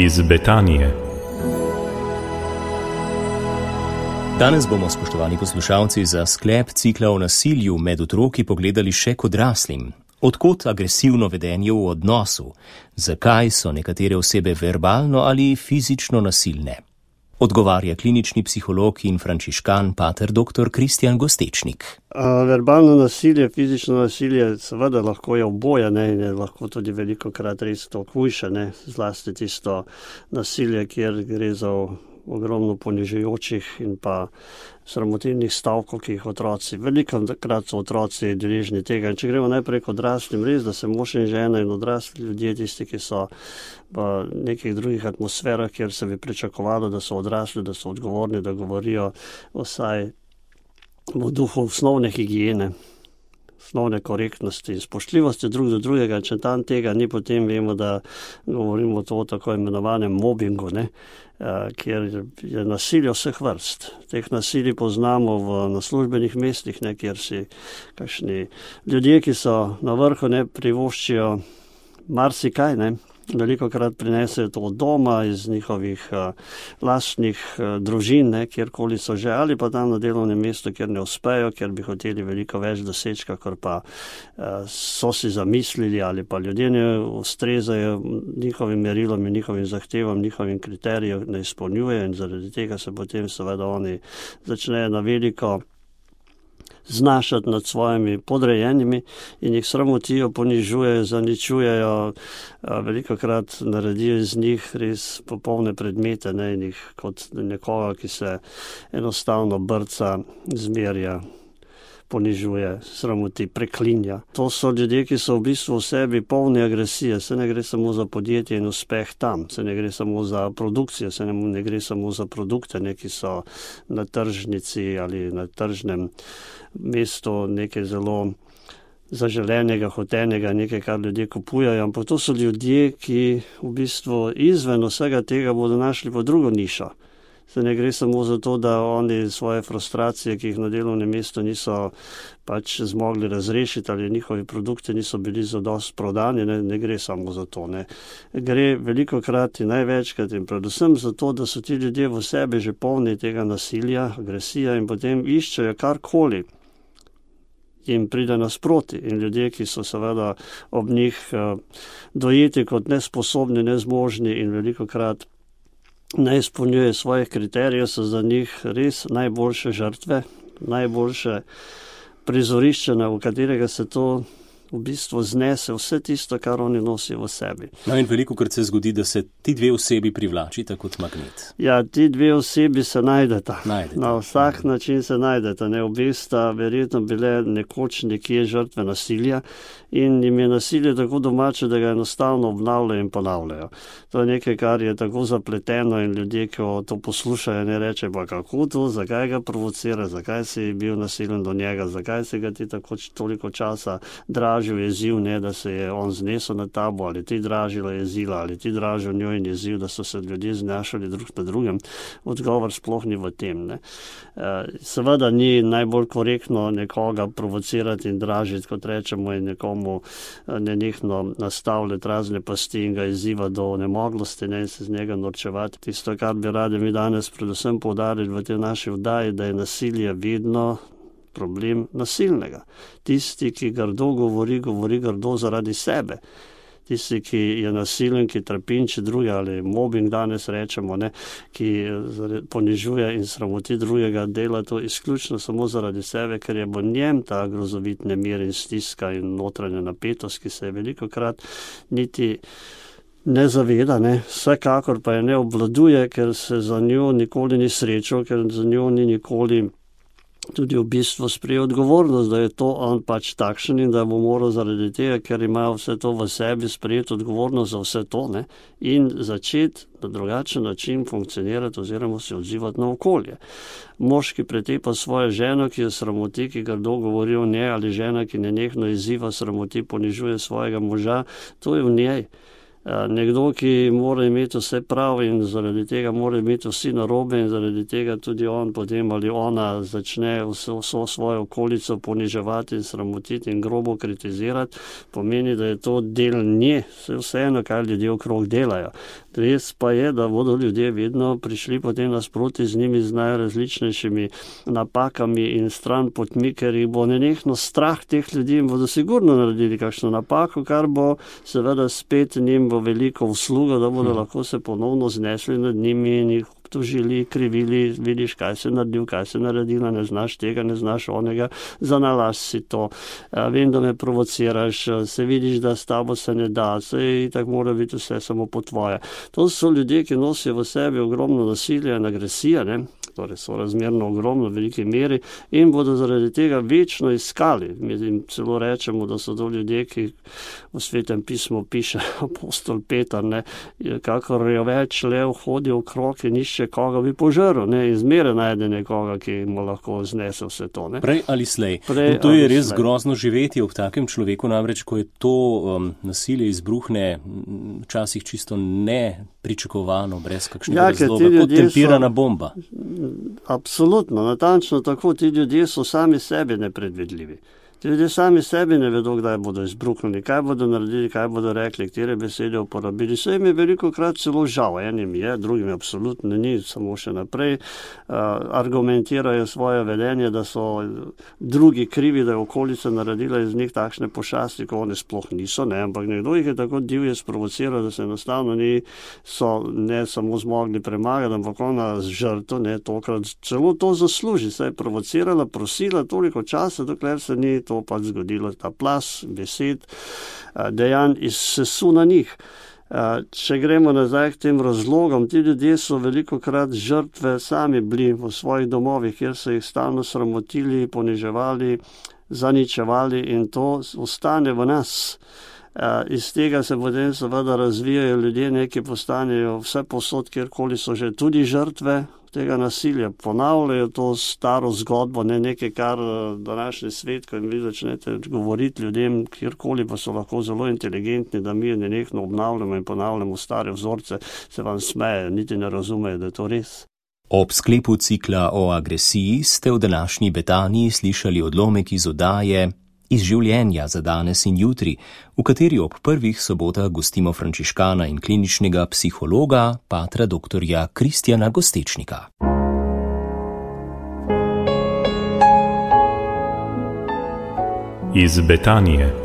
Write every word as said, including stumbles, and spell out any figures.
Iz Betanije. Danes bomo, spoštovani poslušalci, za sklep cikla o nasilju med otroki pogledali še k odraslim. Odkot agresivno vedenje v odnosu? Zakaj so nekatere osebe verbalno ali fizično nasilne? Odgovarja klinični psiholog in frančiškan pater doktor Kristjan Gostečnik. A, verbalno nasilje, fizično nasilje, seveda lahko je oboje, ne, in je lahko tudi velikokrat res to hujše, ne, zlasti tisto nasilje, kjer gre za ogromno ponižujočih in pa sramotilnih stavkov, ki jih otroci, velikokrat so otroci deležni tega. In če gremo najprej k odraslim, res, da se mož in žena in odrasli ljudje, tisti, ki so v nekih drugih atmosferah, kjer se bi pričakovalo, da so odrasli, da so odgovorni, da govorijo vsaj v duhu osnovne higiene, osnovne korektnosti in spoštljivosti drug do drugega. Če tam tega ni, potem vemo, da govorimo o tako imenovanem mobingu, ne, kjer je nasilje vseh vrst. Teh nasilij poznamo v, na službenih mestih, ne, kjer si kakšni ljudje, ki so na vrhu, ne, privoščijo marsikaj, ne, velikokrat prinesejo to od doma, iz njihovih uh, lastnih uh, družin, ne, kjerkoli so že, ali pa tam na delovnem mestu, kjer ne uspejo, ker bi hoteli veliko več doseči, kakor pa uh, so si zamislili, ali pa ljudje ne ustrezajo njihovim merilom in njihovim zahtevam, njihovim kriterijem ne izpolnjujejo, in zaradi tega se potem seveda oni začnejo na veliko znašati nad svojimi podrejenimi in jih sramotijo, ponižujejo, zaničujejo, velikokrat naredijo iz njih res popolne predmete, ne, in jih kot nekoga, ki se enostavno brca, zmerja, ponižuje, sramoti, preklinja. To so ljudje, ki so v bistvu v sebi polni agresije. Se ne gre samo za podjetje in uspeh tam, se ne gre samo za produkcijo, se ne, ne gre samo za produkte, ne, ki so na tržnici ali na tržnem mestu nekaj zelo zaželenega, hotenega, nekaj, kar ljudje kupujajo, ampak to so ljudje, ki v bistvu izven vsega tega bodo našli po drugo nišo. Se ne gre samo za to, da oni svoje frustracije, ki jih na delovnem mestu niso pač zmogli razrešiti, ali njihovi produkti niso bili zadosti prodani, ne, ne gre samo za to. Ne. Gre velikokrat in največkrat in predvsem za to, da so ti ljudje v sebi že polni tega nasilja, agresija, in potem iščejo karkoli jim pride nasproti. In ljudje, ki so seveda ob njih uh, dojeti kot nesposobni, nezmožni in velikokrat ne izpolnjuje svojih kriterijev, so za njih res najboljše žrtve, najboljše prizorišče, v katerega se to v bistvu znese vse tisto, kar oni nosijo v sebi. No, in velikokrat se zgodi, da se ti dve osebi privlačita kot magnet. Ja, ti dve osebi se najdeta. najdeta. Na vsak način se najdeta. Ne, obe sta verjetno bile nekoč nekje žrtve nasilja in jim je nasilje tako domače, da ga enostavno obnavljajo in ponavljajo. To je nekaj, kar je tako zapleteno, in ljudje, ki to poslušajo, ne reče, pa kako to, zakaj ga provocira, zakaj si bil nasilen do njega, zakaj si ga ti tako toliko časa dražil, jezil, ne, da se je on znesel na tabo, ali ti dražila jezila, ali ti dražil njo in jezil, da so se ljudje znašali drug na drugem. Odgovor sploh ni v tem. Ne. Seveda ni najbolj korektno nekoga provocirati in dražiti, kot rečemo, in nekomu nenehno nastavljati razne pasti in ga izziva do nemoglosti, ne, in se z njega norčevati. Tisto, kar bi radi mi danes predvsem poudarili v tej naši vdaji, da je nasilje vedno problem nasilnega. Tisti, ki grdo govori, govori grdo zaradi sebe. Tisti, ki je nasilen, ki trpinči druge, ali mobbing danes rečemo, ne, ki ponižuje in sramoti drugega, dela to izključno samo zaradi sebe, ker je v njem ta grozovit nemir in stiska in notranja napetost, ki se je velikokrat niti ne zaveda, ne, vsekakor pa je ne obvladuje, ker se za njo nikoli ni srečal, ker za njo ni nikoli tudi v bistvu sprejel odgovornost, da je to on pač takšen in da bo moral zaradi tega, ker ima vse to v sebi, sprejeti odgovornost za vse to, ne, in začeti na drugačen način funkcionirati oziroma se odzivati na okolje. Mož, ki pretepa svojo ženo, ki je sramoti, ki grdo govori o njej, ali žena, ki nenehno izziva, sramoti, ponižuje svojega moža, to je v njej. Nekdo, ki mora imeti vse prav in zaradi tega mora imeti vsi narobe in zaradi tega tudi on potem ali ona začne vso, vso svojo okolico poniževati in sramotiti in grobo kritizirati, pomeni, da je to del nje, vseeno, kaj ljudje okrog delajo. Res pa je, da bodo ljudje vedno prišli potem nasproti z njimi z najrazličnejšimi napakami in stran potmi, ker jih bo nenehno strah teh ljudi in bodo sigurno naredili kakšno napako, kar bo seveda spet njim bo veliko usluga, da bodo lahko se ponovno znesli nad njimi in jih obtožili, krivili, vidiš, kaj se naredil, kaj se naredila, ne znaš tega, ne znaš onega, zanalaš si to, vem, da me provociraš, se vidiš, da s tabo se ne da, se tako mora biti vse samo po tvoje. To so ljudje, ki nosijo v sebi ogromno nasilja in agresije, ne? Torej so razmerno ogromno v veliki meri in bodo zaradi tega večno iskali. Mi jim celo rečemo, da so to ljudje, ki v Svetem pismu piše apostol Peter, ne, kakor je več lev hodi okrog in išče koga bi požrl, ne, in zmeraj najde nekoga, ki mu lahko znese vse to, ne. Prej ali slej. Prej in to je res slej. Grozno živeti ob takem človeku, namreč, ko je to um, nasilje izbruhne včasih čisto nepričakovano, brez kakšnega Ja, razloga, kot tempirana so... bomba. Absolutno, natančno tako, ti ljudje so sami sebi nepredvidljivi. Ti ljudje sami sebi ne vedo, kdaj bodo izbruhnili, kaj bodo naredili, kaj bodo rekli, katere besede uporabili. Vse jim je veliko krat celo žal, enim je, drugim je absolutno ni, samo še naprej uh, argumentirajo svoje vedenje, da so drugi krivi, da je okolica naredila iz njih takšne pošasti, ko one sploh niso, ne, ampak nekdo jih je tako divje sprovociral, da se enostavno ni so ne samo zmogli premagati, ampak ona z žrtvo, ne, tokrat celo to zasluži, se je provocirala, prosila toliko časa, dokler se ni to pač zgodilo, ta plas, besed, dejanj izsesu na njih. Če gremo nazaj k tem razlogom, ti ljudje so veliko krat žrtve sami bili v svojih domovih, kjer so jih stalno sramotili, poniževali, zaničevali in to ostane v nas. Iz tega se potem seveda razvijajo ljudje, neki postanejo vse posod, kjerkoli so že tudi žrtve tega nasilja, ponavljajo to staro zgodbo, ne nekaj, kar današnji svet, ko jim vi začnete govoriti ljudem, kjerkoli pa so lahko zelo inteligentni, da mi nenehno obnavljamo in ponavljamo stare vzorce, se vam smeje, niti ne razumejo, da je to res. Ob sklepu cikla o agresiji ste v današnji Betaniji slišali odlomek iz oddaje Iz življenja za danes in jutri, v kateri ob prvih sobotah gostimo frančiškana in kliničnega psihologa, patra doktorja Kristjana Gostečnika. Iz Betanije.